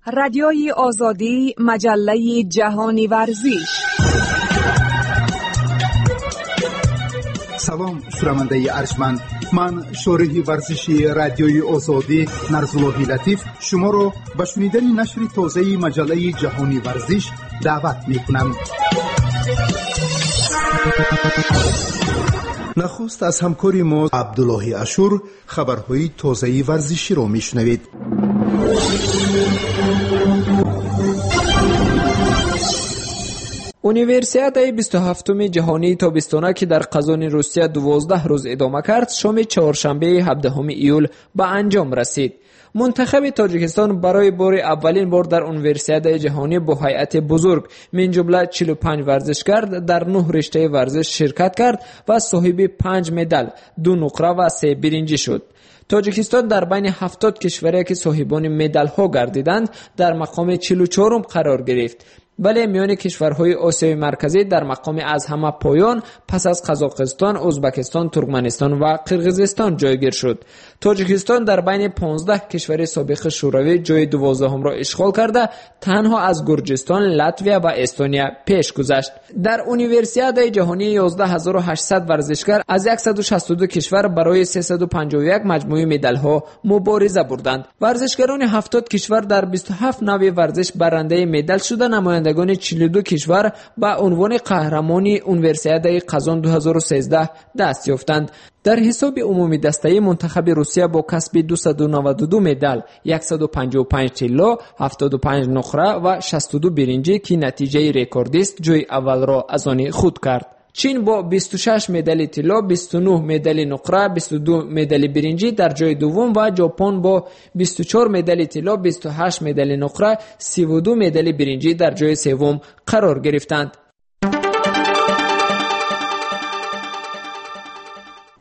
Радиои Озодӣ, маҷаллаи ҷаҳони варзиш. Салом, шунавандаи арҷманд. Ман, шореҳи варзиши Радиои Озодӣ Нарзуллоҳи Латиф, шуморо ба шунидани нашри тозаи маҷаллаи ҷаҳони варзиш даъват мекунам. Нахуст аз ҳамкори мо Абдуллоҳи Ашур хабарҳои тозаи варзиширо мешунавед. Универсиадаи 27-уми ҷаҳонии тобистона, ки дар Қазони Русия 12 рӯз идома кард, шоми чоршанбеи 17 июл ба анҷом расид. Мунтахаби Тоҷикистон барои бори аввалин бор дар Универсиадаи ҷаҳонӣ бо ҳайати бузург, мин ҷумла 45 варзишгар, дар 9 риштаи варзиш ширкат кард ва соҳиби 5 медал, 2 нуқра ва 3 биринҷӣ шуд. Тоҷикистон дар байни 70 кишваре, ки соҳибони медалҳо гардиданд, дар мақоми 44-ум қарор гирифт. Вале миёни кишварҳои Осиёи Марказӣ дар мақоми аз ҳама поён пас аз Қазоқистон, Ӯзбекистон, Туркманистон ва Қирғизистон ҷойгир шуд. Тоҷикистон дар байни 15 кишвари собиқи Шӯравӣ ҷои 12-умро ишғол карда, танҳо аз Гурҷистон, Латвия ва Эстония пеш гузашт. Дар Универсиадаи ҷаҳонӣ 11800 варзишгар аз 162 кишвар барои 351 маҷмӯи медалҳо мубориза бурданд. Варзишгарони 70 кишвар дар 27 навъи варзиш барандаи медал шуда, намояндагони 42 кишвар ба унвони қаҳрамони Универсиадаи Қазон 2013 даст ёфтанд. Дар ҳисоби умумидастаӣ мунтахаби Русия бо касби 292 медал, 155 тилло, 75 нуқра ва 62 биринҷӣ, ки натиҷаи рекордист, ҷои аввалро аз они худ кард. Чин бо 26 медали тилло, 29 медали нуқра, 22 медали биринҷӣ дар ҷои дуввум ва Ҷопон бо 24 медали тилло, 28 медали нуқра, 32 медали биринҷӣ дар ҷои севум қарор гирифтанд.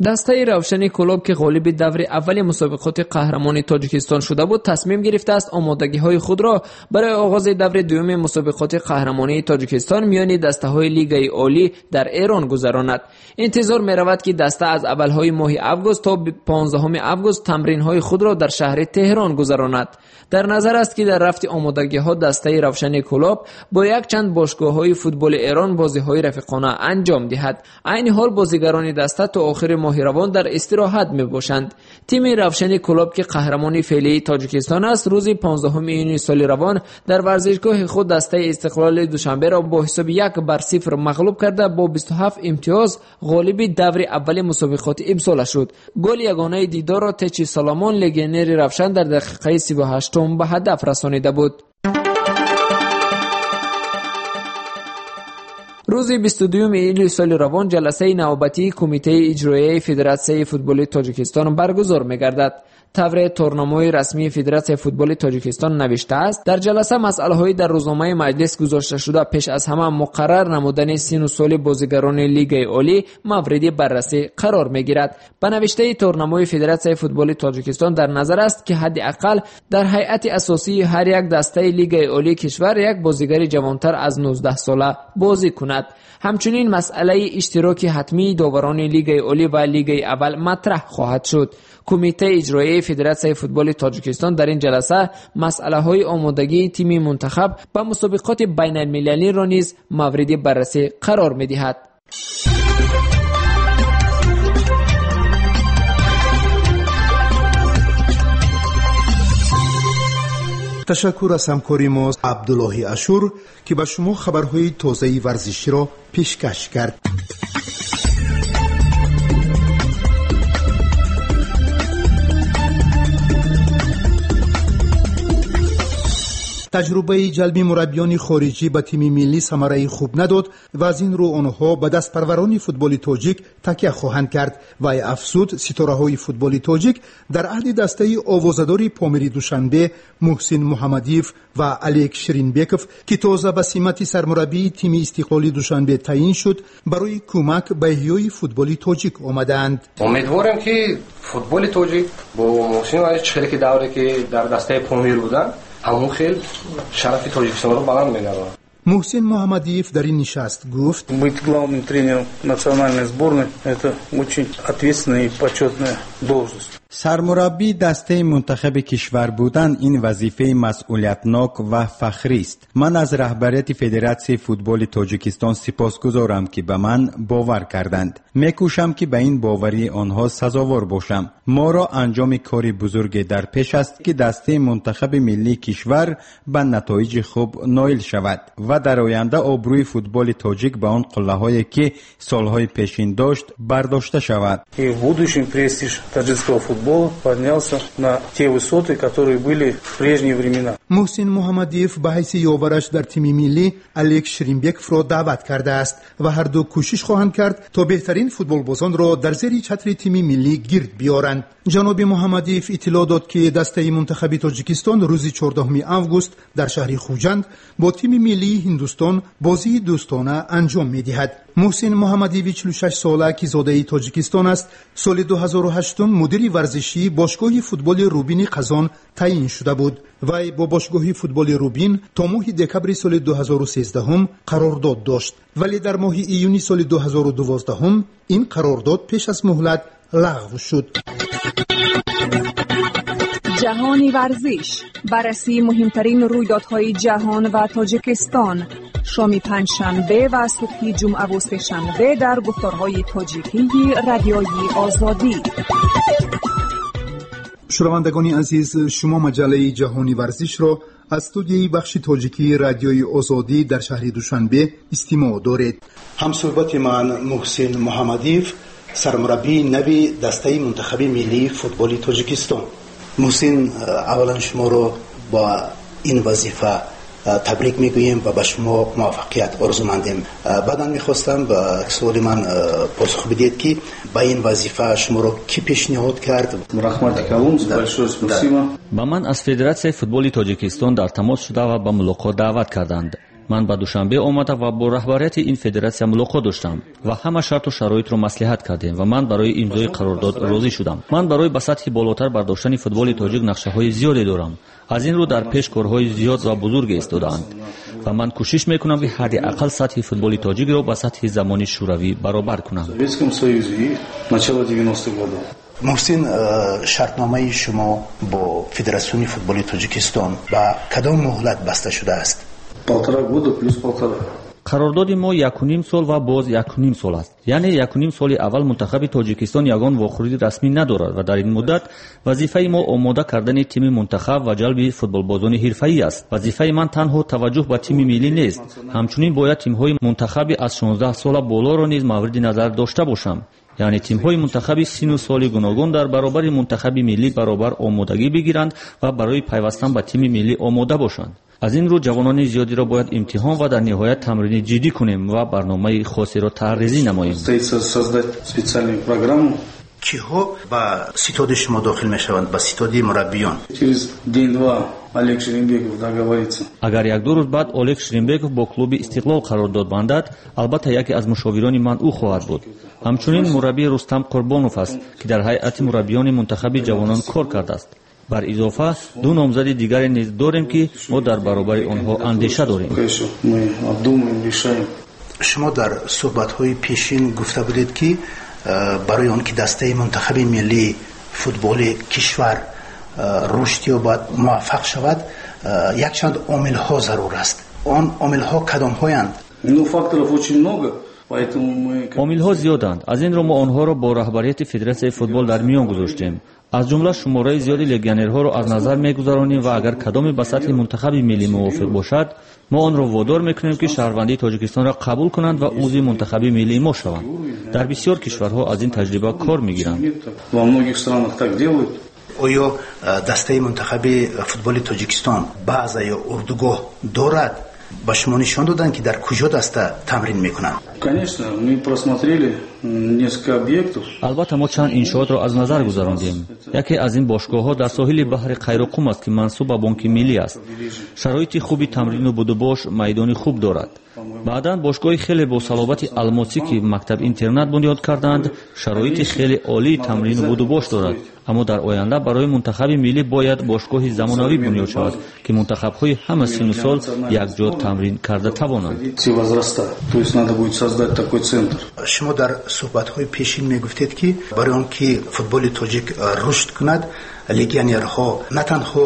Дастаи Равшани Кӯлоб, ки ғолиби даври аввали мусобиқоти қаҳрамони Тоҷикистон шуда буд, тасмим гирифтааст омодагиҳои худро барои оғози даври дуюми мусобиқоти қаҳрамонии Тоҷикистон миёни дастаҳои Лигаи Олӣ дар Эрон гузаронад. Интизор меравад, ки даста аз аввалҳои моҳи август то 15 август тамринҳои худро дар шаҳри Теҳрон гузаронад. Дар назар аст, ки дар рафти омодагиҳо дастаи Равшани Кӯлоб бо якчанд бошгоҳҳои футболи Эрон бозиҳои рафиқона анҷом диҳад. Айни ҳол бозигарони даста то охири моҳи равон дар истироҳат мебошанд. Тими Равшани Кӯлоб, ки қаҳрамони феълии Тоҷикистон аст, рӯзи 15 июни соли равон дар варзишгоҳи худ дастаи Истиқлоли Душанберо бо ҳисоби 1-0 мағлуб карда, бо 27 имтиёз ғолиби даври аввали мусобиқоти имсола шуд. Голи ягонаи дидорро Течи Соломон, легионери Равшан, дар дақиқаи 38 ба ҳадаф расонида буд. Рӯзи 22 июли соли равон ҷаласаи навбатии Кумитаи иҷроияи Федератсияи футболи Тоҷикистон баргузор мегардад. Тавре торнамои расмии Федератсияи футболи Тоҷикистон навиштааст, дар ҷаласа масъалаҳои дар рӯзномаи маҷлис гузошташуда, пеш аз ҳама муқаррар намудани сину соли бозигарони Лигаи Олӣ мавриди баррасӣ қарор мегирад. Ба навиштаи торнамои Федератсияи футболи Тоҷикистон дар назар аст, ки ҳадди ақал дар ҳайати асосии ҳар як дастаи Лигаи Олии кишвар як бозигари ҷавонтар аз 19 сола бозӣ кунад. Ҳамчунин масъалаи иштироки ҳатмии доварони Лигаи Олӣ ва Лигаи аввал матраҳ хоҳад шуд. Кумитаи иҷроияи Федератсияи футболи Тоҷикистон дар ин ҷаласа масъалаҳои омодагии тими мунтахаб ба мусобиқоти байналмилалиро низ мавриди баррасӣ қарор медиҳад. Ташаккур аз ҳамкори мо Абдуллоҳи Ашур, ки ба шумо хабарҳои тозаи варзиширо пешкаш кард. Таҷрубаи ҷалби мураббиёни хориҷӣ ба тими миллӣ самараи хуб надод ва аз ин рӯ онҳо ба дастпарварони футболи тоҷик такя хоҳанд кард. Вай афзуд, ситораҳои футболи тоҷик дар аҳди дастаи овозадори Помири Душанбе Муҳсин Муҳаммадиев ва Олег Ширинбеков, ки тоза ба симати сармураббии тими Истиқлоли Душанбе таъин шуд, барои кӯмак ба эҳёи футболи тоҷик омадаанд. Умедворем, ки футболи тоҷик бо Муҳсин хеле ки давре ки дар дастаи Помир буданд, ҳамон хел шарафи Тоҷикистонро баланд мегардонад. Муҳсин Муҳаммадиев дар ин нишаст гуфт: Быть главным тренером национальной сборной — это очень ответственная и почетная должность. Сармураббии дастаи мунтахаби кишвар будан ин вазифаи масъулиятнок ва фахрист. Ман аз раҳбарияти Федератсияи футболи Тоҷикистон сипосгузорам, ки ба ман бовар карданд. Мекӯшам, ки ба ин боварии онҳо сазовор бошам. Моро анҷоми кори бузурге дар пеш аст, ки дастаи мунтахаби миллии кишвар ба натоиҷи хуб ноил шавад ва дар оянда обрӯи футболи тоҷик ба он қуллаҳое, ки солҳои пешин дошт, бардошта шавад. И в будущем престиж таджикского футбола поднялся на те высоты, которые были в прежние времена. Муҳсин Муҳаммадиев ба ҳайси ёвараш дар тими миллӣ Олег Шеримбековро даъват кардааст ва ҳарду кӯшиш хоҳанд кард, то беҳтарин футболбозонро дар зери чатри тими миллӣ гирд биёранд. Ҷаноби Муҳаммадиев иттилоъ дод, ки дастаи мунтахаби Тоҷикистон рӯзи 14 август дар шаҳри Хуҷанд бо тими миллии Ҳиндустон бозии дӯстона анҷом медиҳад. Муҳсин Муҳаммадиеви 46 сола, ки зодаи Тоҷикистон аст, соли 2008 мудири варзишии бошгоҳи футболи Рубини Қазон таъин шуда буд. Вай бо бошгоҳи футболи Рубин то моҳи декабри соли 2013 қарордод дошт, вале дар моҳи июни соли 2012 ин қарордод пеш аз муҳлат лағв шуд. Ҷаҳони варзиш, баррасии муҳимтарин рӯйдодҳои ҷаҳон ва Тоҷикистон, шоми панҷшанбе ва субҳи ҷумъаву сешанбе дар гуфторҳои тоҷикии Радиои Озодӣ. Шунавандагони азиз, шумо маҷаллаи Ҷаҳони варзишро аз студияи бахши тоҷикии Радиои Озодӣ дар шаҳри Душанбе истимоъ доред. Ҳамсӯҳбати ман Муҳсин Муҳаммадиев, сармураббии нави дастаи мунтахаби миллии футболи Тоҷикистон. Муҳсин, аввалан шуморо ба ин вазифа табрик мегӯем ва ба шумо муваффақият орзумандем. Баъдан мехостам ба суоли ман посух бидиҳед, ки ба ин вазифа шуморо кӣ пешниҳод кард? Раҳмати калон, большое спасибо. Ба ман аз Федератсияи футболи Тоҷикистон дар тамос шуда ва ба мулоқот даъват карданд. Ман ба Душанбе омада ва бо раҳбарияти ин федератсия мулоқот доштам ва ҳама шарту шароитро маслиҳат кардем ва ман барои имзои қарордод розӣ шудам. Ман барои ба сатҳи болотар бардоштани футболи тоҷик нақшаҳои зиёде дорам. Аз ин рӯ дар пеш корҳои зиёд ва бузурге истодаанд ва ман кӯшиш мекунам, ки ҳадди ақал сатҳи футболи тоҷикро ба сатҳи замони шӯравӣ баробар кунам. Советском Союзе и начала 90-х годов. Муҳсин, шартномаи шумо бо Федератсиони футболи Тоҷикистон ба кадом муҳлат баста шудааст? Полтора года плюс полтора. Қарордоди мо 1,5 сол ва боз 1,5 сол аст. Яъне 1,5 соли аввал мунтахаби Тоҷикистон ягон вохӯрии расмӣ надорад ва дар ин муддат вазифаи мо омода кардани тими мунтахаб ва ҷалби футболбозони ҳирфаӣ аст. Вазифаи ман танҳо таваҷҷӯҳ ба тими миллӣ нест, ҳамчунин бояд тимҳои мунтахаби аз 16 сола болоро низ мавриди назар дошта бошам. Яъне тимҳои мунтахаби сину соли гуногун дар баробари мунтахаби миллӣ баробар омодагӣ бигиранд ва барои пайвастан ба тими миллӣ омода бошанд. Аз ин рӯ ҷавонони зиёдеро бояд имтиҳон ва дар ниҳоят тамрини ҷиддӣ кунем ва барномаи хосеро тарҳрезӣ намоем. Создать специальную программу. Киҳо ба ситоди шумо дохил мешаванд, ба ситоди мураббиён? Через день-два Олег Шеримбеков договорится. Агар як-ду рӯз баъд Олег Шеримбеков бо клуби Истиқлол қарордод бандад, албатта яке аз мушовирони ман ӯ хоҳад буд. Ҳамчунин мураббии Рустам Қурбонов аст, ки дар ҳайати мураббиёни мунтахаби ҷавонон кор кардааст. Бар изофа ду номзади дигаре низ дорем, ки мо дар баробари онҳо андеша дорем. Шумо дар суҳбатҳои пешин гуфта будед, ки барои он ки дастаи мунтахаби миллии футболи кишвар рушд ёбад, муваффақ шавад, якчанд омилҳо зарур аст. Он омилҳо кадомҳоянд? Ну, факторов очень много. Омилҳо зиёданд. Аз ин рӯ мо онҳоро бо раҳбарияти Федератсияи футбол дар миён гузоштем. Аз ҷумла шумораи зиёди легионерҳоро аз назар мегузаронем ва агар кадоме ба сатҳи мунтахаби миллӣ мувофиқ бошад, мо онро водор мекунем, ки шаҳрвандии Тоҷикистонро қабул кунанд ва узви мунтахаби миллии мо шаванд. Дар бисёр кишварҳо аз ин таҷриба кор мегиранд. Во многих странах так делают. Оё дастаи мунтахаби футболи Тоҷикистон база ё урдугоҳ дорад? Ба шумо нишон доданд, ки дар куҷо даста тамрин мекунанд? Конечно, мы просмотрели несколько объектов. Албатта, мо чанд иншоотро аз назар гузарондем. Яке аз ин бошгоҳҳо дар соҳили баҳри Қайроқум аст, ки мансуб ба Бонки Миллӣ аст. Шароити хуби тамрину будубош, майдони хуб дорад. Баъдан бошгоҳи хеле бо салобати Алмосӣ, ки мактаб-интернат бунёд кардаанд, шароити хеле олии тамрину будубош дорад. Аммо дар оянда барои мунтахаби миллӣ бояд бошгоҳи замонавӣ бунёд шавад, ки мунтахабҳои ҳама сину сол якҷо тамрин карда тавонанд. Все возраста. То есть надо будет создать создать такой центр. Шумо дар суҳбатҳои пешин мегуфтед, ки барои он ки футболи тоҷик рушд кунад, легионерҳо, на танҳо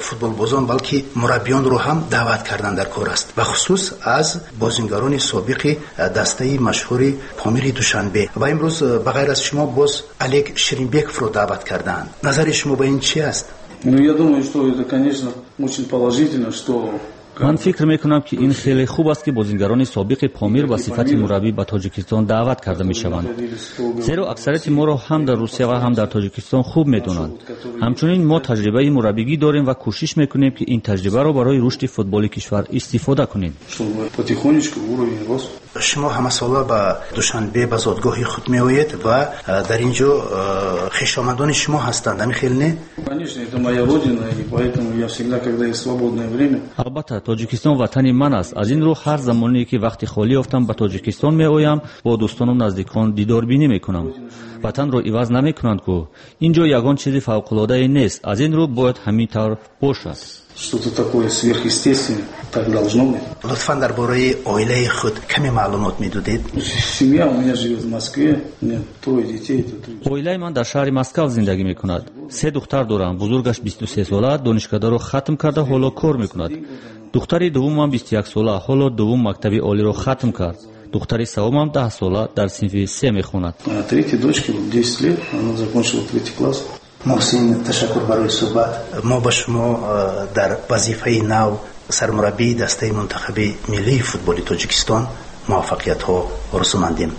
футболбозон, балки мураббиёнро ҳам даъват кардан дар кор аст, бахусус аз бозингарони собиқи дастаи машҳури Помири Душанбе. Ва имрӯз ба ғайр аз шумо боз Олег Ширинбековро даъват кардаанд. Назари шумо ба ин чи аст? Ну, я думаю, что это, конечно, очень положительно, что Ман фикр мекунам, ки ин хеле хуб аст, ки бозингарони собиқи Помир ба сифати мураббӣ ба Тоҷикистон даъват карда мешаванд, зеро аксарияти моро ҳам дар Русия ва ҳам дар Тоҷикистон хуб медонанд. Ҳамчунин мо таҷрибаи мураббигӣ дорем ва кӯшиш мекунем, ки ин таҷрибаро барои рушди футболи кишвар истифода кунем. Потихонечку уровень рос. Шумо ҳамасола ба Душанбе, ба зодгоҳи худ меоед ва дар ин ҷо хешомадони шумо ҳастанд, ҳамин хел не? Конечно, это моя родина, и поэтому я всегда, когда есть свободное время. Албатта, Тоҷикистон ватани ман аст. Аз ин рӯ ҳар замоне ки вақти холӣ ёфтам, ба Тоҷикистон меоям, бо дӯстону наздикон дидорбинӣ мекунам. Ватанро иваз намекунанд ку. Ин ҷо ягон чизи фавқулодае нест, аз ин рӯ бояд ҳамин тавр бошад. Что-то такое сверхъестественное, так должно быть. Лутфан дар бораи оилаи худ каме маълумот медодед. Семья у меня живет в Москве, у меня трое детей. Это три. Оилаи ман дар шаҳри Москав зиндагӣ мекунад. Се духтар дорам. Бузургаш 23 сола, донишкадаро хатм карда, ҳоло кор мекунад. Духтари дуввумам 21 сола, ҳоло дуввум мактаби олиро хатм кард. Духтари севумам 10 сола, дар синфи се мехонад. А третьей дочке вот 10 лет, она закончила третий класс. Муҳсин, ташаккур барои суҳбат. Мо ба шумо дар вазифаи нав, сармураббии дастаи мунтахаби миллии футболи Тоҷикистон, муваффақиятҳо орзумандем.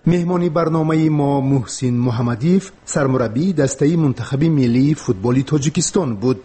Меҳмони барномаи мо Муҳсин Муҳаммадиев, сармураббии дастаи мунтахаби миллии футболи Тоҷикистон буд.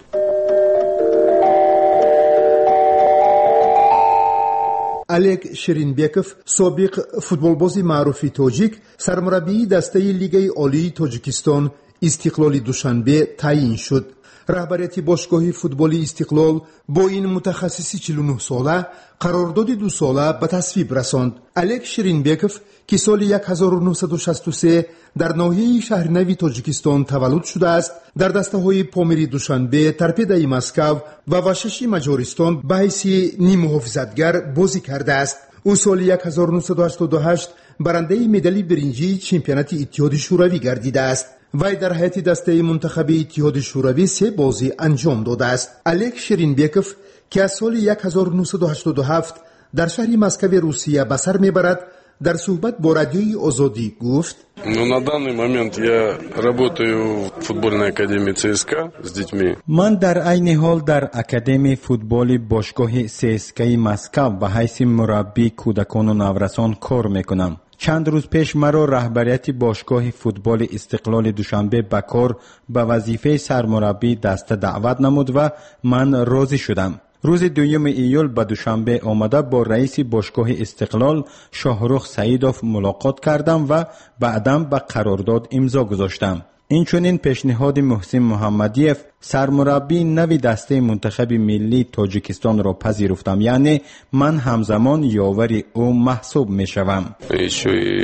Олег Ширинбеков, собиқ футболбози маъруфи тоҷик, сармураббии дастаи Лигаи олии Тоҷикистон Истиқлоли Душанбе таъйин шуд. Раҳбарияти бошгоҳи футболи Истиқлол бо ин мутахассиси 49-сола қарордоди дусола ба тасвиб расонд. Олег Ширинбеков, ки соли 1963 дар ноҳияи Шаҳринави Тоҷикистон таваллуд шудааст, дар дастаҳои Помири Душанбе, Торпедаи Москав ва Вашаши Маҷористон ба ҳайси ниммуҳофизатгар бозӣ кардааст. Ӯ соли 1988 барандаи медали биринҷии чемпионати Иттиҳоди Шӯравӣ гардидааст. Вай дар ҳайати дастаи мунтахаби Иттиҳоди Шӯравӣ се бозӣ анҷом додааст. Олег Ширинбеков, ки аз соли 1987 дар шаҳри Москави Русия ба сар мебарад, дар суҳбат бо Радиои Озодӣ гуфт: Ну, на данный момент я работаю в футбольной академии ЦСКА с детьми. Ман дар айни ҳол дар Академияи футболи бошгоҳи ЦСКАи Москав ба ҳайси мураббии кӯдакону наврасон кор мекунам. Чанд рӯз пеш маро раҳбарияти бошгоҳи футболи Истиқлоли Душанбе ба кор, ба вазифаи сармураббии даста даъват намуд ва ман розӣ шудам. Рӯзи 2 июл ба Душанбе омада, бо раиси бошгоҳи Истиқлол Шоҳрух Саидов мулоқот кардам ва баъдан ба қарордод имзо гузоштам. Инчунин пешниҳоди Муҳсин Муҳаммадиев, сармураббии нави дастаи мунтахаби миллии Тоҷикистонро пазируфтам, яъне ман ҳамзамон ёвари ӯ маҳсуб мешавам. Еще и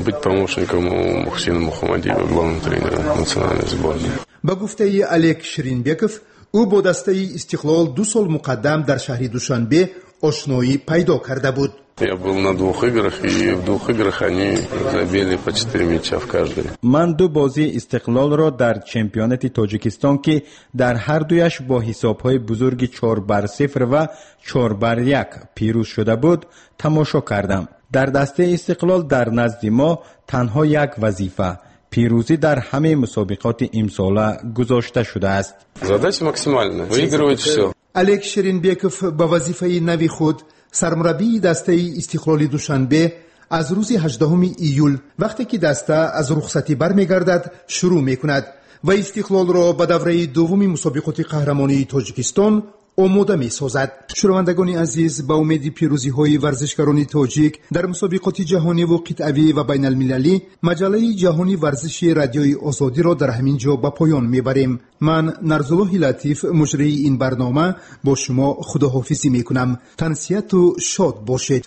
быть помощником у Мухсина Мухаммадиева, главного тренера национальной сборной. Ба гуфтаи Олег Ширинбеков, ӯ бо дастаи Истиқлол 2 сол муқаддам дар шаҳри Душанбе ошноӣ пайдо карда буд. Я был на двух играх, и в двух играх они забили по четыре мяча в каждой. Ман ду бозии Истиқлолро дар чемпионати Тоҷикистон, ки дар ҳар дуяш бо ҳисобҳои бузурги 4-0 ва 4-1 пирӯз шуда буд, тамошо кардам. Дар дастаи Истиқлол дар назди мо танҳо як вазифа — пирӯзӣ дар ҳамаи мусобиқоти имсола гузошта шудааст. Задача максимальная. Выигрывать все. Олег Ширинбеков ба вазифаи нави худ, сармураббии дастаи Истиқлоли Душанбе, аз рӯзи 18 июл, вақте ки даста аз рухсатӣ бармегардад, шурӯъ мекунад ва Истиқлолро ба давраи дуввуми мусобиқоти қаҳрамонии Тоҷикистон омода месозад. Шунавандагони азиз, ба умеди пирӯзиҳои варзишгарони тоҷик дар мусобиқоти ҷаҳониву қитъавӣ ва байналмилалӣ, маҷаллаи ҷаҳони варзиши Радиои Озодиро дар ҳамин ҷо ба поён мебарем. Ман, Нарзуллоҳи Латиф, муҷрии ин барнома, бо шумо худоҳофизӣ мекунам. Тансиҳату шод бошед.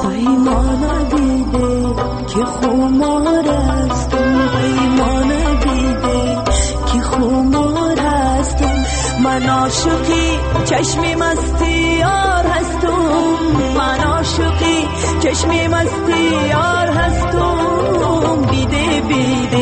پیمانه دیده که خمار است، پیمانه دیده که خمار است. Ман ошиқи чашми масти ёр ҳастум, ман ошиқи чашми масти ёр ҳастум. Биде, биде.